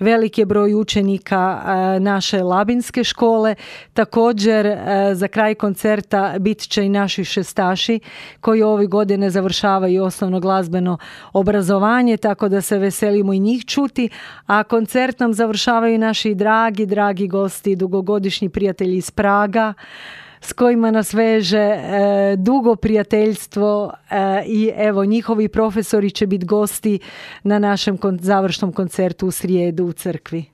velik je broj učenika naše labinske škole. Također za kraj koncerta bit će i naši šestaši koji ove godine završavaju osnovno glazbeno obrazovanje, tako da se veselimo i njih čuti, a koncert nam završavaju naši dragi gosti, dugogodišnji prijatelji iz Praga, s kojima nas veže dugo prijateljstvo i evo njihovi profesori će biti gosti na našem završnom koncertu u srijedu u crkvi.